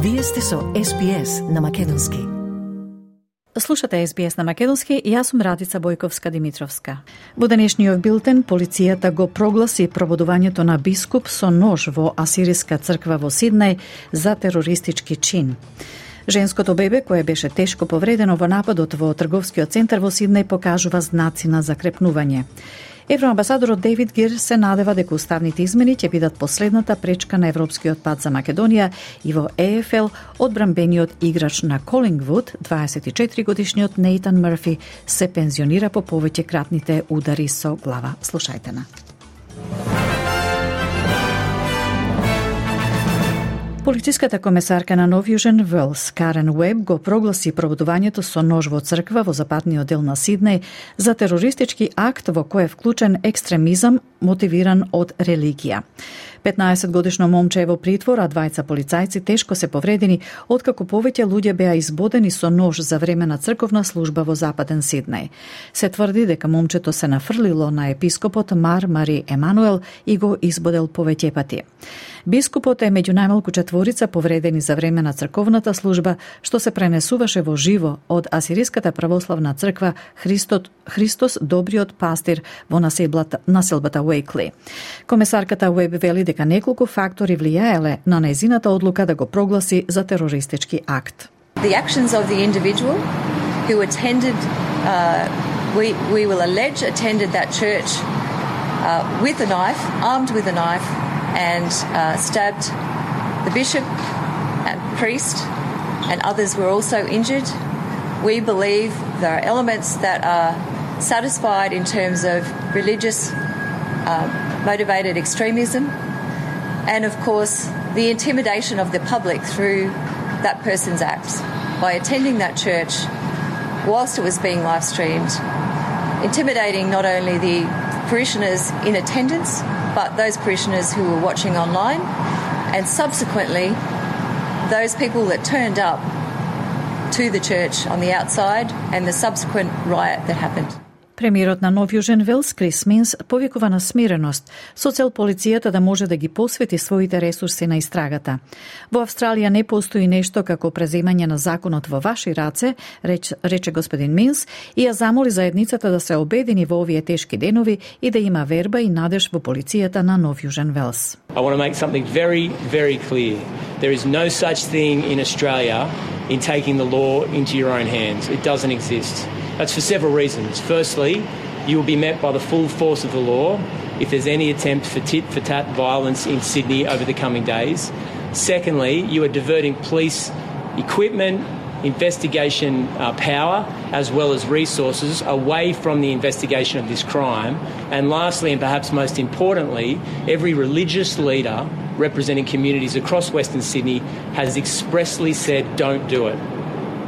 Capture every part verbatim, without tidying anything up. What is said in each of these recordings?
Вие сте со Ес Би Ес на Македонски. Слушате Ес Би Ес на Македонски и јас сум Радица Бојковска-Димитровска. Во денешниот билтен, полицијата го прогласи пробудувањето на бискуп со нож во Асириска црква во Сиднеј за терористички чин. Женското бебе, кое беше тешко повредено во нападот во трговскиот центар во Сиднеј, покажува знаци на закрепнување. Евроамбасадорот Дейвид Гир се надева дека уставните измени ќе бидат последната пречка на европскиот пат за Македонија и во Е Еф Ел одбранбениот играч на Колингвуд, дваесет и четири годишниот Нейтан Мърфи, се пензионира по повеќе кратните удари со глава. Слушајте на. Полициската комесарка на Нов Јужен Велс, Карен Уеб, го прогласи пробудувањето со нож во црква во западниот дел на Сиднеј за терористички акт во кој е вклучен екстремизам мотивиран од религија. петнаесет годишно момче е во притвор, а двајца полицајци тешко се повредени, откако повеќе луѓе беа избодени со нож за време на црковна служба во западен Сиднеј. Се тврди дека момчето се нафрлило на епископот Мар Мари Емануел и го избодел повеќе пати. Бискупот е меѓу најмалку четворица повредени за време на црковната служба, што се пренесуваше во живо од Асириската православна црква Христот, Христос Добриот пастир во населбата, населбата Уейкли. Комесарката Уеб вели дека неколку фактори влијаеле на нејзината одлука да го прогласи за терористички акт. The actions of the individual who attended, uh, we, we will allege attended that church uh, with a knife, armed with a knife, and uh, stabbed the bishop and priest, and others were also injured. We believe there are elements that are satisfied in terms of religious uh, motivated extremism, and of course the intimidation of the public through that person's acts by attending that church whilst it was being live streamed, intimidating not only the parishioners in attendance but those parishioners who were watching online, and subsequently those people that turned up to the church on the outside and the subsequent riot that happened. Премиерот на Нов Јужен Велс, Крис Минс, повикува на смиреност, со цел полицијата да може да ги посвети своите ресурси на истрагата. Во Австралија не постои нешто како преземање на законот во ваши раце, реч, рече господин Минс, и ја замоли заедницата да се обедини во овие тешки денови и да има верба и надеж во полицијата на Нов Јужен Велс. I want to make something very, very clear. There is no such thing in Australia in taking the law into your own hands. It doesn't exist. That's for several reasons. Firstly, you will be met by the full force of the law if there's any attempt for tit-for-tat violence in Sydney over the coming days. Secondly, you are diverting police equipment, investigation uh, power, as well as resources away from the investigation of this crime. And lastly, and perhaps most importantly, every religious leader representing communities across Western Sydney has expressly said don't do it,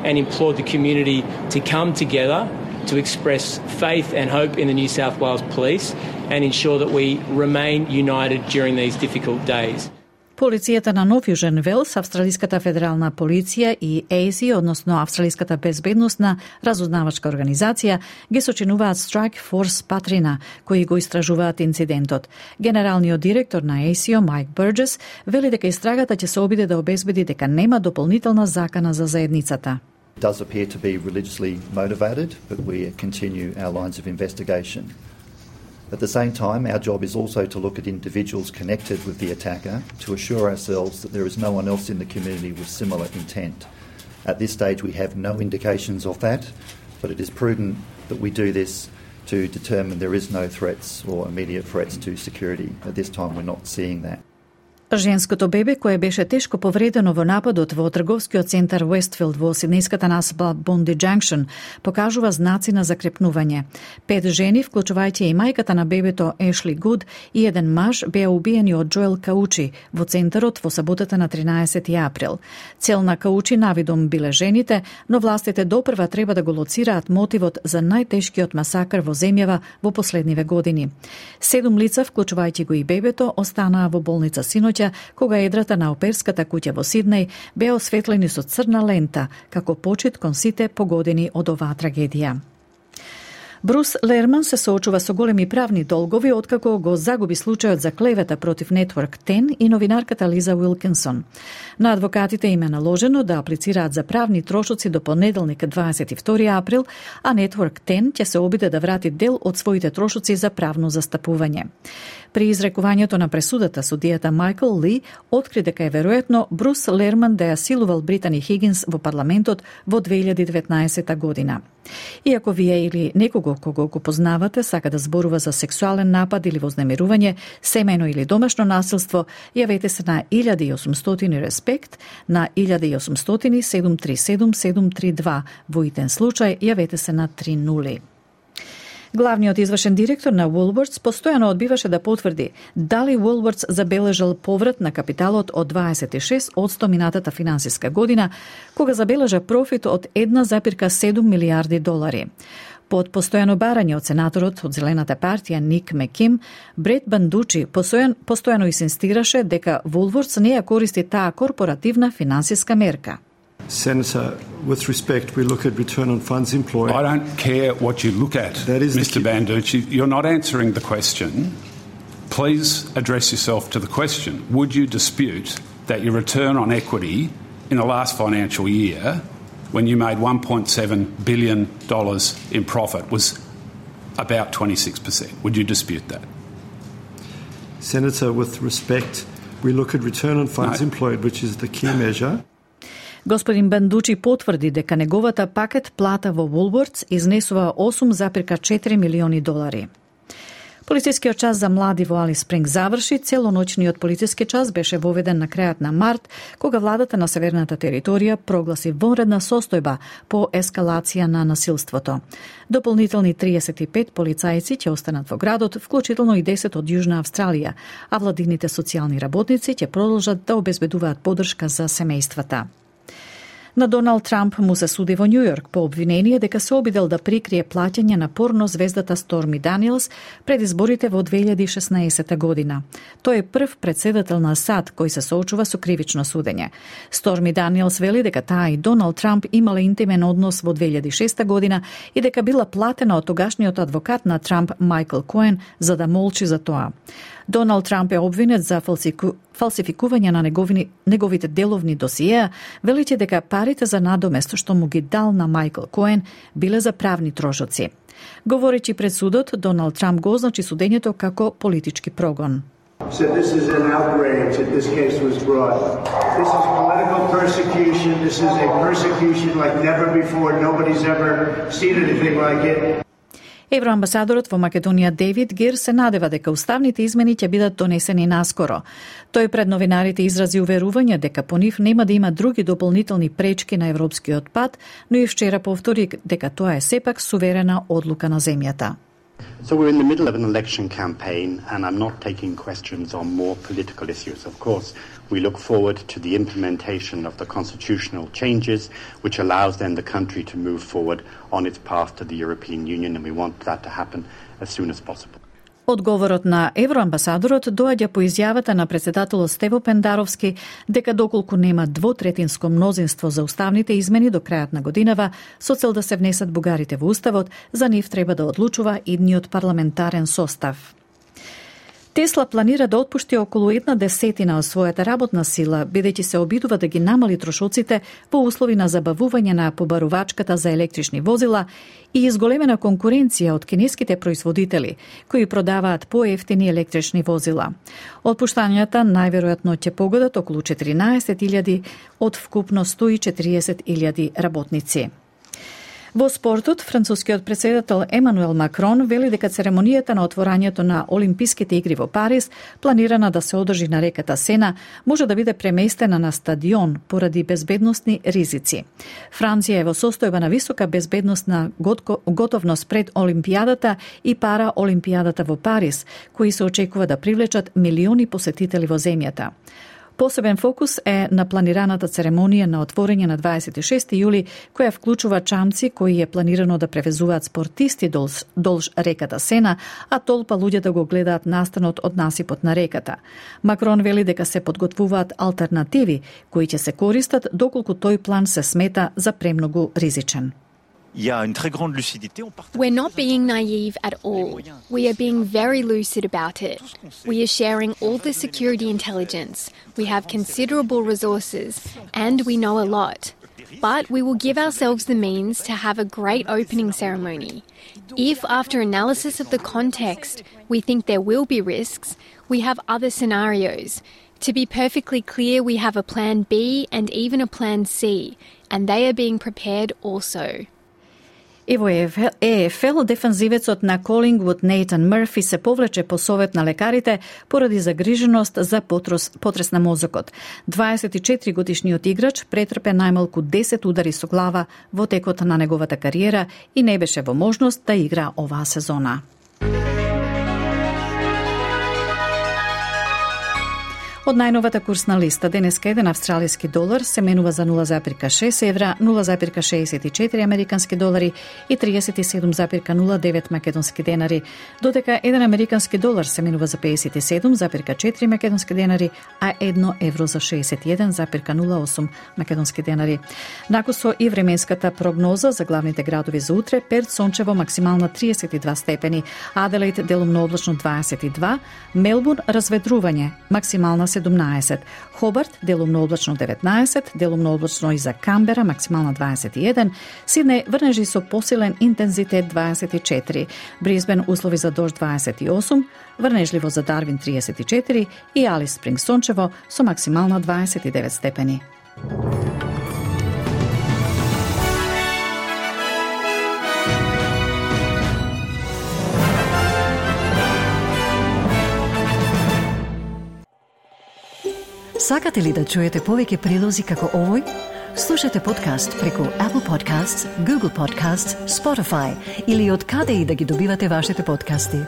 and implored the community to come together to express faith and hope in the New South Wales Police and ensure that we remain united during these difficult days. Полицијата на Нов Јужен Велс, Австралиската федерална полиција и Ей Си, односно Австралиската безбедносна разузнавачка организација, ги сочинуваат Strike Force Патрина, кои го истражуваат инцидентот. Генералниот директор на Ей Си, Майк Бурджес, вели дека истрагата ќе се обиде да обезбеди дека нема дополнителна закана за заедницата. It does appear to be religiously motivated, but we continue our lines of investigation. At the same time, our job is also to look at individuals connected with the attacker to assure ourselves that there is no one else in the community with similar intent. At this stage, we have no indications of that, but it is prudent that we do this to determine there is no threats or immediate threats to security. At this time, we're not seeing that. Женското бебе, кое беше тешко повредено во нападот во трговскиот центар Уестфилд во сиднејската населба Бонди Джанкшн, покажува знаци на закрепнување. Пет жени, вклучувајќи и мајката на бебето Ешли Гуд и еден маж, беа убиени од Джоел Каучи во центарот во саботата на тринаесети април. Цел на Каучи навидом биле жените, но властите допрва треба да го лоцираат мотивот за најтешкиот масакр во земјава во последниве години. Седум лица, вклучувајќи го и бебето, останаа во болница синоќ, кога едрата на оперската куќа во Сиднеј беа осветлени со црна лента, како почит кон сите погодени од оваа трагедија. Брус Лерман се соочува со големи правни долгови откако го загуби случајот за клевета против Network десет и новинарката Лиза Уилкинсон. На адвокатите им е наложено да аплицираат за правни трошоци до понеделник дваесет и втори април, а Network десет ќе се обиде да врати дел од своите трошоци за правно застапување. При изрекувањето на пресудата, судијата Майкл Ли откри дека е веројатно Брус Лерман да ја силувал Британи Хигинс во парламентот во две илјади и деветнаесета година. Иако вие или некого кого го познавате сака да зборува за сексуален напад или вознемирување, семејно или домашно насилство, јавете се на илјада и осумстотини респект, на илјада и осумстотини седум три седум седум три два. Во итен случај, јавете се на три нули. Главниот извршен директор на Woolworths постојано одбиваше да потврди дали Woolworths забележал поврат на капиталот од дваесет и шест одсто минатата финансиска година, кога забележа профит од една зарез седум милијарди долари. Под постојано барање од сенаторот од Зелената партија Ник Меким, Брет Бандучи постојано, постојано инсистираше дека Woolworths не ја користи таа корпоративна финансиска мерка. Senator, with respect, we look at return on funds employed. I don't care what you look at, Mister Banducci. You're not answering the question. Please address yourself to the question. Would you dispute that your return on equity in the last financial year, when you made one point seven billion dollars in profit, was about twenty-six percent? Would you dispute that? Senator, with respect, we look at return on funds no. employed, which is the key measure. Господин Бандучи потврди дека неговата пакет плата во Woolworths изнесува осум зарез четири милиони долари. Полицискиот час за млади во Алис Спринг заврши. Целоноќниот полициски час беше воведен на крајот на март, кога владата на северната територија прогласи вонредна состојба по ескалација на насилството. Дополнителни триесет и пет полицајци ќе останат во градот, вклучително и десет од Јужна Австралија, а владините социјални работници ќе продолжат да обезбедуваат поддршка за семејствата. На Доналд Трамп му се суди во Њујорк по обвинение дека се обидел да прикрие плаќање на порно звездата Сторми Даниелс пред изборите во две илјади и шеснаесета година. Тој е прв претседател на САД кој се соочува со кривично судење. Сторми Даниелс вели дека таа и Доналд Трамп имале интимен однос во две илјади и шеста година и дека била платена од тогашниот адвокат на Трамп Майкл Коен за да молчи за тоа. Доналд Трамп е обвинет за фалсику... фалсификување на неговини... неговите деловни досиеа, велите дека парите за надомест што му ги дал на Майкл Коен биле за правни трошоци. Говоречи пред судот, Доналд Трамп го означи судењето како политички прогон. Said this is an outrage that this case was brought. This is political persecution. This is a persecution like never before. Nobody's ever seen anything like it. Евроамбасадорот во Македонија Дейвид Гир се надева дека уставните измени ќе бидат донесени наскоро. Тој пред новинарите изрази уверување дека по нив нема да има други дополнителни пречки на европскиот пат, но и вчера повтори дека тоа е сепак суверена одлука на земјата. So we're in the middle of an election campaign, and I'm not taking questions on more political issues. Of course, we look forward to the implementation of the constitutional changes, which allows then the country to move forward on its path to the European Union, and we want that to happen as soon as possible. Одговорот на евроамбасадорот доаѓа по изјавата на претседателот Стево Пендаровски дека доколку нема двотретинско мнозинство за уставните измени до крајот на годинава, со цел да се внесат бугарите во уставот, за нив треба да одлучува идниот парламентарен состав. Тесла планира да отпушти околу една десетина од својата работна сила, бидејќи се обидува да ги намали трошоците во услови на забавување на побарувачката за електрични возила и изголемена конкуренција од кинеските производители, кои продаваат поевтини електрични возила. Отпуштањата најверојатно ќе погодат околу четиринаесет илјади од вкупно сто и четириесет илјади работници. Во спортот, францускиот претседател Емануел Макрон вели дека церемонијата на отворањето на Олимписките игри во Париз, планирана да се одржи на реката Сена, може да биде преместена на стадион поради безбедносни ризици. Франција е во состојба на висока безбедносна готовност пред Олимпијадата и пара Олимпијадата во Париз, кои се очекува да привлечат милиони посетители во земјата. Посебен фокус е на планираната церемонија на отворање на дваесет и шести јули, која вклучува чамци кои е планирано да превезуваат спортисти долж, долж реката Сена, а толпа луѓе да го гледаат настанот од насипот на реката. Макрон вели дека се подготвуваат алтернативи кои ќе се користат доколку тој план се смета за премногу ризичен. We're not being naive at all. We are being very lucid about it. We are sharing all the security intelligence. We have considerable resources, and we know a lot. But we will give ourselves the means to have a great opening ceremony. If, after analysis of the context, we think there will be risks, we have other scenarios. To be perfectly clear, we have a plan B and even a plan C, and they are being prepared also. И во Е Еф Ел, дефанзивецот на Колингвуд Нейтан Мърфи се повлече по совет на лекарите поради загриженост за потрес, потрес на мозокот. дваесет и четири годишниот играч претрпе најмалку десет удари со глава во текот на неговата кариера и не беше во можност да игра оваа сезона. Од најновата курсна листа, денеска еден австралиски долар се менува за нула зарез шест евра, нула зарез шеесет и четири американски долари и триесет и седум зарез нула девет македонски денари, додека еден американски долар се менува за пеесет и седум зарез четири македонски денари, а едно евро за шеесет и еден зарез нула осум македонски денари. Накусо и временската прогноза за главните градови за утре: Перт сончево, максимална триесет и два степени, Аделаид делумно облачно дваесет и два, Мелбурн разведрување, максимална седумнаесет, Хобарт делумно облачно деветнаесет, делумно облачно и за Камбера, максимална дваесет и еден, Сиднеј врнежи со посилен интензитет дваесет и четири, Брисбен услови за дожд дваесет и осум, врнежливо за Дарвин триесет и четири и Алис Спринг сончево со максимална дваесет и девет степени. Сакате ли да чуете повеќе прилози како овој? Слушате подкаст преку Apple Podcasts, Google Podcasts, Spotify или од каде и да ги добивате вашите подкасти.